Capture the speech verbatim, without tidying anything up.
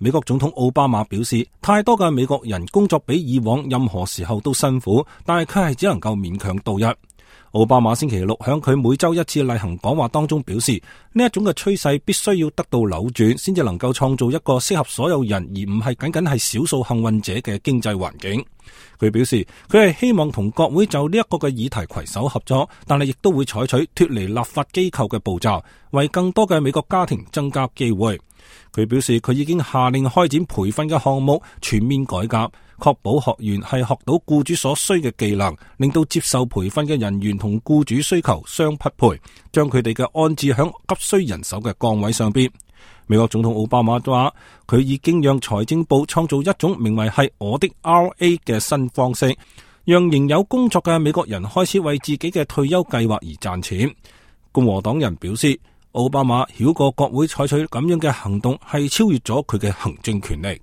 美國總統奧巴馬表示，太多嘅美國人工作比以往任何時候都辛苦，但係佢係只能夠勉強度日。奧巴馬星期六響佢每周一次例行講話當中表示，呢一種嘅趨勢必須要得到扭轉，先至能夠創造一個適合所有人，而唔係僅僅係少數幸運者嘅經濟環境。佢表示，佢係希望同國會就呢一個嘅議題攜手合作，但係亦都會採取脫離立法機構嘅步驟，為更多嘅美國家庭增加機會。佢表示，佢已經下令開展培訓嘅項目全面改革，確保學員係學到僱主所需嘅技能，令到接受培訓嘅人員同僱主需求相匹配，將佢哋嘅安置響急需人手嘅崗位上邊。美國總統奧巴馬話，佢已經讓財政部創造一種名為係我的 R A 嘅新方式，讓仍有工作嘅美國人開始為自己嘅退休計劃而賺錢。共和黨人表示，奧巴馬繞過國會採取咁樣嘅行動係超越咗佢嘅行政權力。